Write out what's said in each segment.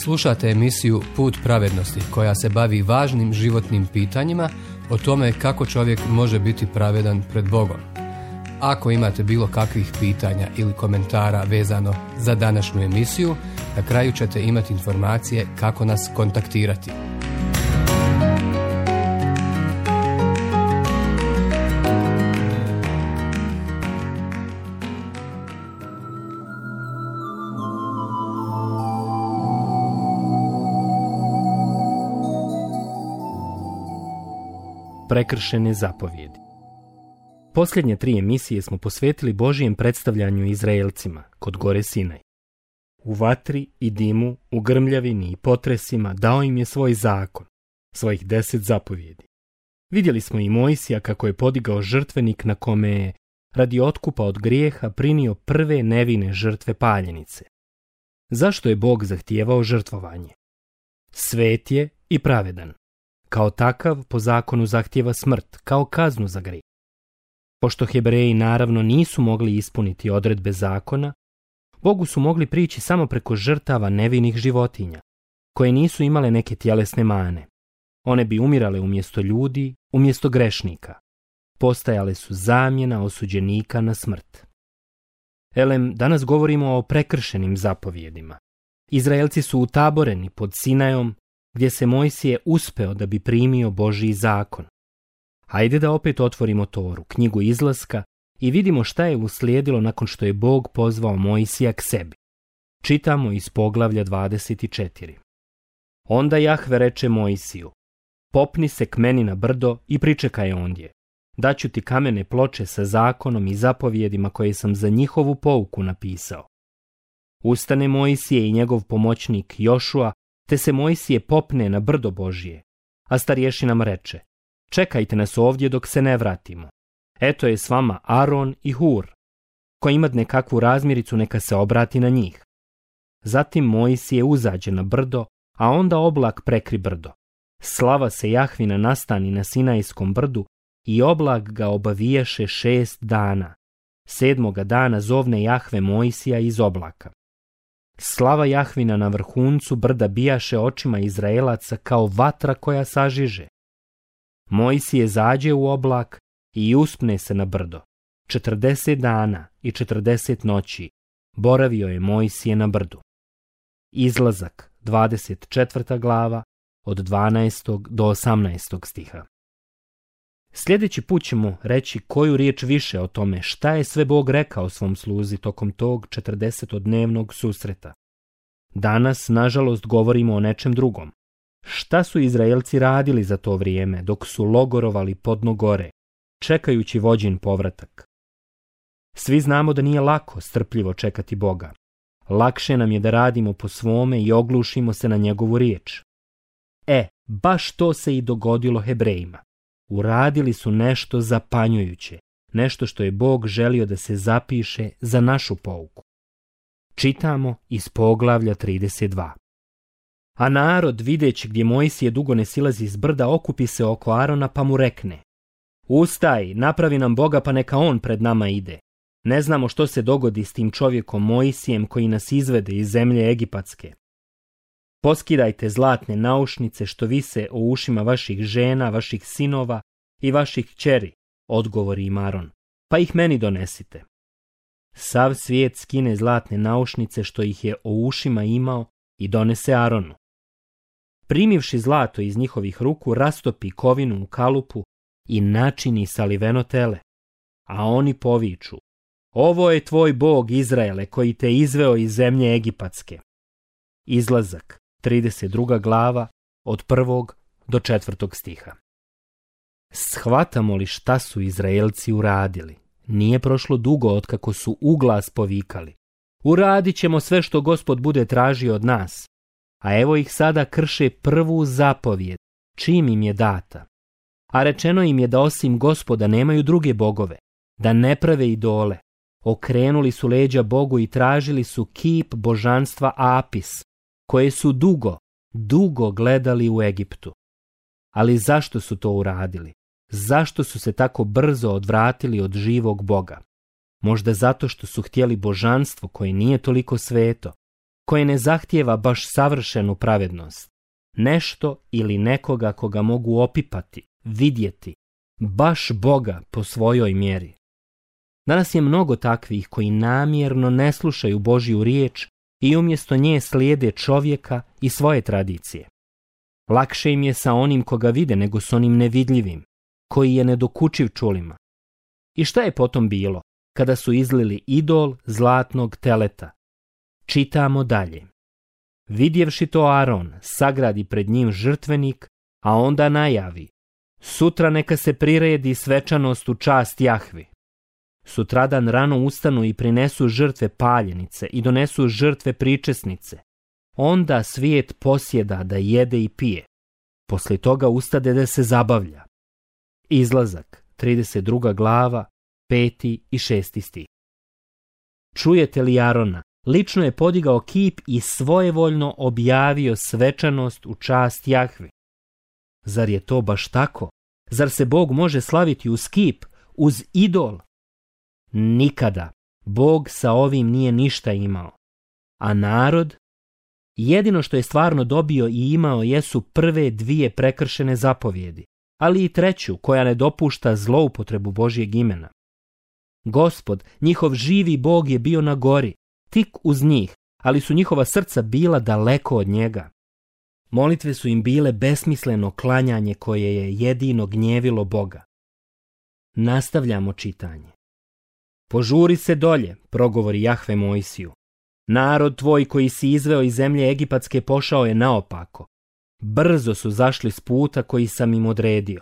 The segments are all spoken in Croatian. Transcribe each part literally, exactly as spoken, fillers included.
Slušate emisiju Put pravednosti koja se bavi važnim životnim pitanjima o tome kako čovjek može biti pravedan pred Bogom. Ako imate bilo kakvih pitanja ili komentara vezano za današnju emisiju, na kraju ćete imati informacije kako nas kontaktirati. Prekršene zapovjedi. Posljednje tri emisije smo posvetili Božijem predstavljanju Izraelcima kod gore Sinaj. U vatri i dimu, u grmljavini i potresima dao im je svoj zakon, svojih deset zapovjedi. Vidjeli smo i Mojsija kako je podigao žrtvenik na kome je, radi otkupa od grijeha, prinio prve nevine žrtve paljenice. Zašto je Bog zahtijevao žrtvovanje? Svet je i pravedan. Kao takav, po zakonu zahtijeva smrt, kao kaznu za grijeh. Pošto Hebreji naravno nisu mogli ispuniti odredbe zakona, Bogu su mogli prići samo preko žrtava nevinih životinja, koje nisu imale neke tjelesne mane. One bi umirale umjesto ljudi, umjesto grešnika. Postajale su zamjena osuđenika na smrt. Elem, danas govorimo o prekršenim zapovjedima. Izraelci su utaboreni pod Sinajom, gdje se Mojsije uspeo da bi primio Božji zakon. Hajde da opet otvorimo Toru, knjigu Izlaska, i vidimo šta je uslijedilo nakon što je Bog pozvao Mojsija k sebi. Čitamo iz poglavlja dvadeset četiri. Onda Jahve reče Mojsiju: popni se k meni na brdo i pričekaj ondje. Daću ti kamene ploče sa zakonom i zapovjedima koje sam za njihovu pouku napisao. Ustane Mojsije i njegov pomoćnik Jošua, te se Mojsije popne na brdo Božje, a starješinam reče: čekajte nas ovdje dok se ne vratimo. Eto je s vama Aron i Hur. Ko ima nekakvu razmiricu, neka se obrati na njih. Zatim Mojsije uzađe na brdo, a onda oblak prekri brdo. Slava se Jahvina nastani na Sinajskom brdu i oblak ga obaviješe šest dana. Sedmoga dana zovne Jahve Mojsija iz oblaka. Slava Jahvina na vrhuncu brda bijaše očima Izraelaca kao vatra koja sažiže. Mojsije zađe u oblak i uspne se na brdo. Četrdeset dana i četrdeset noći boravio je Mojsije na brdu. Izlazak, dvadeset četvrta glava, od dvanaestog do osamnaestog stiha. Sljedeći put ćemo reći koju riječ više o tome šta je sve Bog rekao svom sluzi tokom tog četrdesetodnevnog susreta. Danas, nažalost, govorimo o nečem drugom. Šta su Izraelci radili za to vrijeme dok su logorovali podno gore, čekajući vođin povratak? Svi znamo da nije lako strpljivo čekati Boga. Lakše nam je da radimo po svome i oglušimo se na njegovu riječ. E, baš to se i dogodilo Hebrejima. Uradili su nešto zapanjujuće, nešto što je Bog želio da se zapiše za našu pouku. Čitamo iz poglavlja trideset dva. A narod, videći gdje Mojsije dugo ne silazi iz brda, okupi se oko Arona pa mu rekne: ustaj, napravi nam Boga pa neka on pred nama ide. Ne znamo što se dogodi s tim čovjekom Mojsijem koji nas izvede iz zemlje Egipatske. Poskidajte zlatne naušnice što vise o ušima vaših žena, vaših sinova i vaših kćeri, odgovori im Aron, pa ih meni donesite. Sav svijet skine zlatne naušnice što ih je o ušima imao i donese Aronu. Primivši zlato iz njihovih ruku, rastopi kovinu u kalupu i načini saliveno tele. A oni poviču: ovo je tvoj Bog Izraele koji te izveo iz zemlje Egipatske. Izlazak, trideset druga glava, od prvog do četvrtog stiha. Shvatamo li šta su Izraelci uradili? Nije prošlo dugo otkako su uglas povikali: uradit ćemo sve što Gospod bude tražio od nas. A evo ih sada krše prvu zapovjed, čim im je data. A rečeno im je da osim Gospoda nemaju druge bogove, da ne prave idole. Okrenuli su leđa Bogu i tražili su kip božanstva Apis, koje su dugo, dugo gledali u Egiptu. Ali zašto su to uradili? Zašto su se tako brzo odvratili od živog Boga? Možda zato što su htjeli božanstvo koje nije toliko sveto, koje ne zahtijeva baš savršenu pravednost, nešto ili nekoga koga mogu opipati, vidjeti, baš Boga po svojoj mjeri. Danas je mnogo takvih koji namjerno ne slušaju Božju riječ i umjesto nje slijede čovjeka i svoje tradicije. Lakše im je sa onim koga vide nego s onim nevidljivim, koji je nedokučiv čulima. I šta je potom bilo, kada su izlili idol zlatnog teleta? Čitamo dalje. Vidjevši to Aron, sagradi pred njim žrtvenik, a onda najavi: sutra neka se priredi svečanost u čast Jahvi. Sutradan rano ustanu i prinesu žrtve paljenice i donesu žrtve pričesnice. Onda svijet posjeda da jede i pije. Poslije toga ustade da se zabavlja. Izlazak, trideset druga glava, peti i šesti stih. Čujete li Arona? Lično je podigao kip i svojevoljno objavio svečanost u čast Jahvi. Zar je to baš tako? Zar se Bog može slaviti uz kip, uz idol? Nikada. Bog sa ovim nije ništa imao. A narod? Jedino što je stvarno dobio i imao jesu prve dvije prekršene zapovjedi, ali i treću koja ne dopušta zloupotrebu Božjeg imena. Gospod, njihov živi Bog, je bio na gori, tik uz njih, ali su njihova srca bila daleko od njega. Molitve su im bile besmisleno klanjanje koje je jedino gnjevilo Boga. Nastavljamo čitanje. Požuri se dolje, progovori Jahve Mojsiju. Narod tvoj koji si izveo iz zemlje egipatske pošao je naopako. Brzo su zašli s puta koji sam im odredio.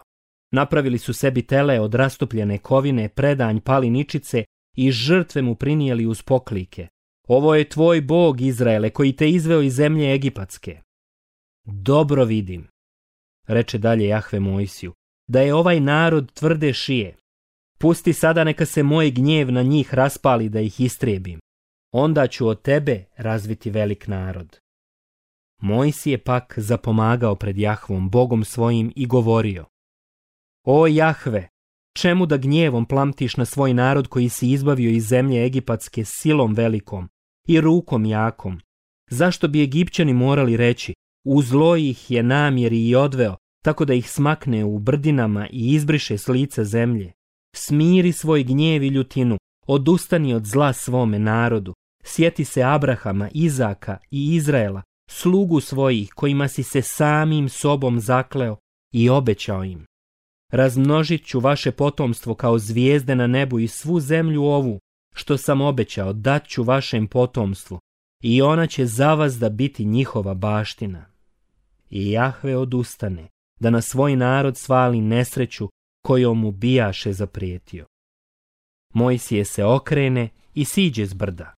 Napravili su sebi tele od rastopljene kovine, predanj paliničice i žrtve mu prinijeli uz poklike. Ovo je tvoj Bog, Izraele, koji te izveo iz zemlje egipatske. Dobro vidim, reče dalje Jahve Mojsiju, da je ovaj narod tvrde šije. Pusti sada neka se moj gnjev na njih raspali da ih istrijebim. Onda ću od tebe razviti velik narod. Mojsije pak zapomagao pred Jahvom, Bogom svojim, i govorio: O Jahve, čemu da gnjevom plamtiš na svoj narod koji si izbavio iz zemlje egipatske silom velikom i rukom jakom? Zašto bi Egipćani morali reći: u zlo ih je namjeri i odveo, tako da ih smakne u brdinama i izbriše s lica zemlje? Smiri svoj gnjev i ljutinu, odustani od zla svome narodu, sjeti se Abrahama, Izaka i Izraela, slugu svojih kojima si se samim sobom zakleo i obećao im. Razmnožit ću vaše potomstvo kao zvijezde na nebu i svu zemlju ovu, što sam obećao, dat ću vašem potomstvu, i ona će za vas da biti njihova baština. I Jahve odustane, da na svoj narod svali nesreću kojom mu bijaše zaprijetio. Mojsije se okrene i siđe s brda.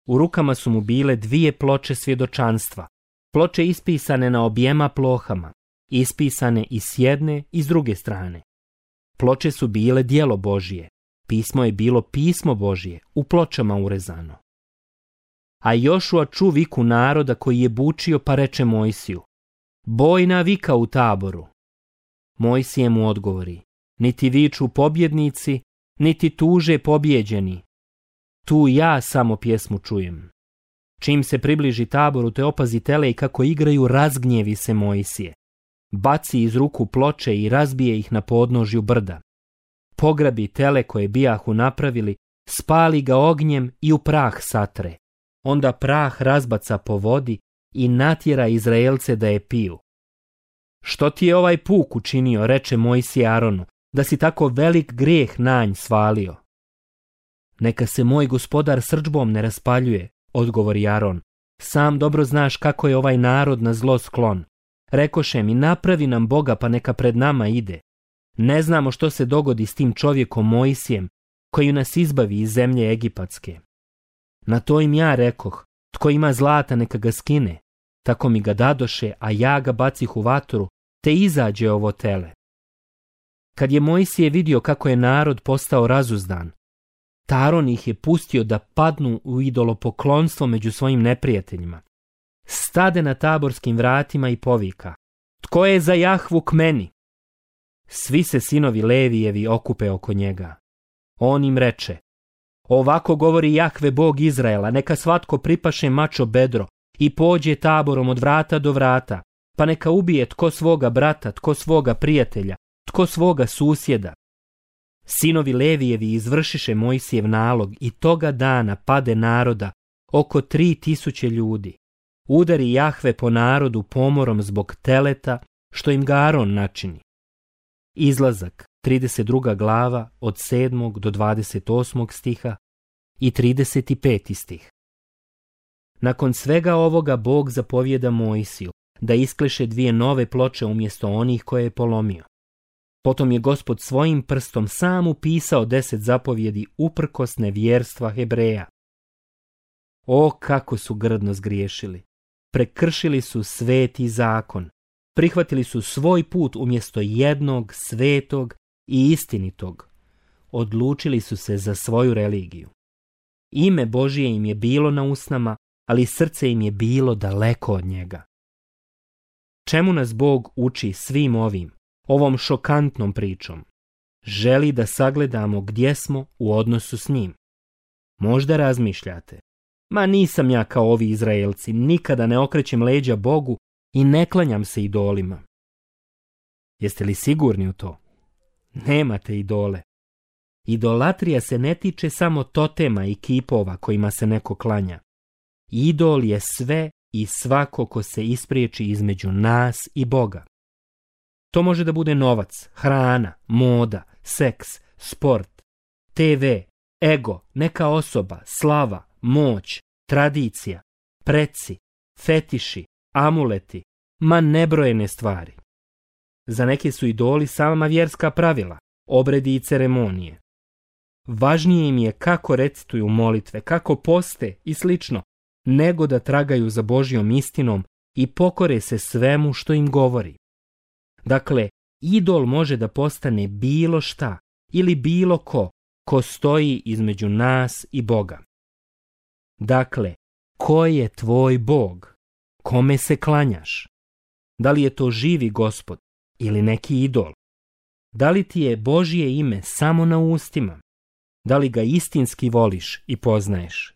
U rukama su mu bile dvije ploče svjedočanstva, ploče ispisane na objema plohama, ispisane i s jedne i s druge strane. Ploče su bile djelo Božije, pismo je bilo pismo Božije, u pločama urezano. A Jošua ču viku naroda koji je bučio, pa reče Mojsiju: bojna vika u taboru. Mojsije mu odgovori: niti viču pobjednici, niti tuže pobjeđeni. Tu ja samo pjesmu čujem. Čim se približi taboru, te opazi tele i kako igraju, razgnjevi se Mojsije. Baci iz ruku ploče i razbije ih na podnožju brda. Pograbi tele koje bijahu napravili, spali ga ognjem i u prah satre. Onda prah razbaca po vodi i natjera Izraelce da je piju. Što ti je ovaj puk učinio, reče Mojsije Aronu, da si tako velik grijeh nanj svalio? Neka se moj gospodar srdžbom ne raspaljuje, odgovori Aron. Sam dobro znaš kako je ovaj narod na zlo sklon. Rekoše mi: napravi nam Boga pa neka pred nama ide. Ne znamo što se dogodi s tim čovjekom Mojsijem, koji nas izbavi iz zemlje egipatske. Na to im ja rekoh: tko ima zlata neka ga skine. Tako mi ga dadoše, a ja ga bacih u vatru, te izađe ovo tele. Kad je Mojsije vidio kako je narod postao razuzdan, Aron ih je pustio da padnu u idolopoklonstvo među svojim neprijateljima. Stade na taborskim vratima i povika: tko je za Jahvu k meni? Svi se sinovi Levijevi okupe oko njega. On im reče: ovako govori Jahve Bog Izraela, neka svatko pripaše mačo bedro i pođe taborom od vrata do vrata, pa neka ubije tko svoga brata, tko svoga prijatelja, tko svoga susjeda. Sinovi Levijevi izvršiše Mojsijev nalog i toga dana pade naroda oko tri tisuće ljudi. Udari Jahve po narodu pomorom zbog teleta, što im ga Aron načini. Izlazak, trideset druga glava, od sedmog do dvadeset osmog stiha i trideset peti stih. Nakon svega ovoga Bog zapovjeda Mojsiju da iskleše dvije nove ploče umjesto onih koje je polomio. Potom je Gospod svojim prstom sam upisao deset zapovjedi uprkos nevjerstva Hebreja. O, kako su grdno zgriješili! Prekršili su sveti zakon. Prihvatili su svoj put umjesto jednog, svetog i istinitog. Odlučili su se za svoju religiju. Ime Božije im je bilo na usnama, ali srce im je bilo daleko od njega. Čemu nas Bog uči svim ovim, ovom šokantnom pričom? Želi da sagledamo gdje smo u odnosu s njim. Možda razmišljate, ma nisam ja kao ovi Izraelci, nikada ne okrećem leđa Bogu i ne klanjam se idolima. Jeste li sigurni u to? Nemate idole. Idolatrija se ne tiče samo totema i kipova kojima se neko klanja. Idol je sve i svako ko se ispriječi između nas i Boga. To može da bude novac, hrana, moda, seks, sport, te ve, ego, neka osoba, slava, moć, tradicija, preci, fetiši, amuleti, ma nebrojene stvari. Za neke su idoli sama vjerska pravila, obredi i ceremonije. Važnije im je kako recituju molitve, kako poste i slično, nego da tragaju za Božjom istinom i pokore se svemu što im govori. Dakle, idol može da postane bilo šta ili bilo ko, ko stoji između nas i Boga. Dakle, ko je tvoj Bog? Kome se klanjaš? Da li je to živi Gospod ili neki idol? Da li ti je Božje ime samo na ustima? Da li ga istinski voliš i poznaješ?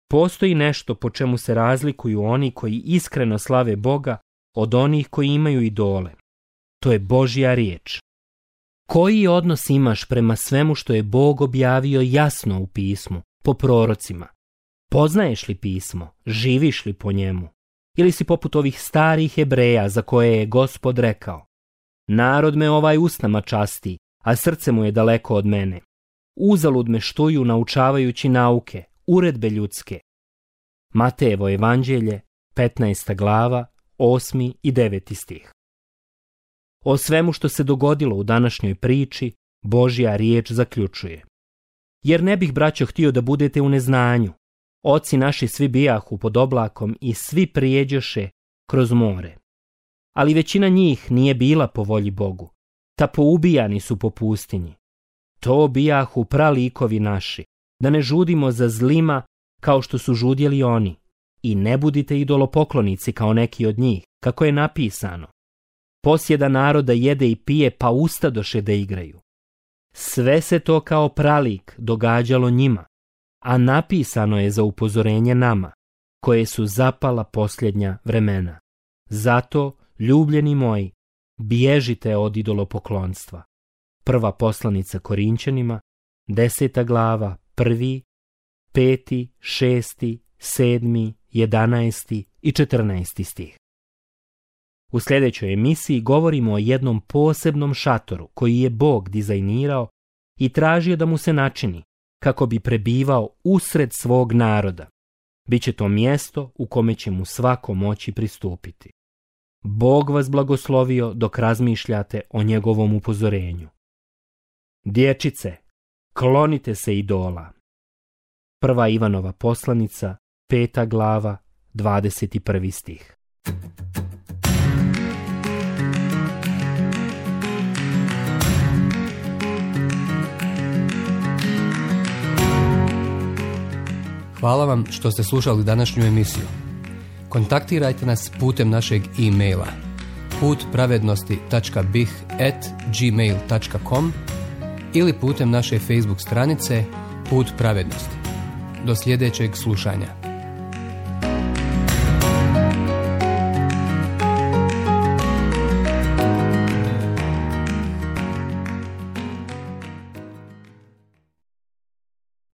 Postoji nešto po čemu se razlikuju oni koji iskreno slave Boga od onih koji imaju idole. To je Božja riječ. Koji odnos imaš prema svemu što je Bog objavio jasno u pismu, po prorocima? Poznaješ li pismo? Živiš li po njemu? Ili si poput ovih starih Hebreja za koje je Gospod rekao: narod me ovaj usnama časti, a srce mu je daleko od mene. Uzalud me štuju naučavajući nauke, uredbe ljudske. Matejevo evanđelje, petnaesta glava, osmi i deveti stih. O svemu što se dogodilo u današnjoj priči, Božja riječ zaključuje: jer ne bih, braćo, htio da budete u neznanju. Oci naši svi bijahu pod oblakom i svi prijeđoše kroz more. Ali većina njih nije bila po volji Bogu, ta poubijani su po pustinji. To bijahu pralikovi naši, da ne žudimo za zlima kao što su žudjeli oni. I ne budite idolopoklonici kao neki od njih, kako je napisano: posjeda naroda jede i pije, pa ustadoše da igraju. Sve se to kao pralik događalo njima, a napisano je za upozorenje nama, koje su zapala posljednja vremena. Zato, ljubljeni moji, bježite od idolopoklonstva. Prva poslanica Korinćanima, deseta glava, prvi, peti, šesti, sedmi, jedanaesti i četrnaesti stih. U sljedećoj emisiji govorimo o jednom posebnom šatoru koji je Bog dizajnirao i tražio da mu se načini kako bi prebivao usred svog naroda. Biće to mjesto u kome će mu svako moći pristupiti. Bog vas blagoslovio dok razmišljate o njegovom upozorenju. Dječice, klonite se idola. Prva Ivanova poslanica, peta glava, dvadeset prvi stih. Hvala vam što ste slušali današnju emisiju. Kontaktirajte nas putem našeg e-maila putpravednosti tačka bih at gmail tačka com ili putem naše Facebook stranice Put pravednosti. Do sljedećeg slušanja.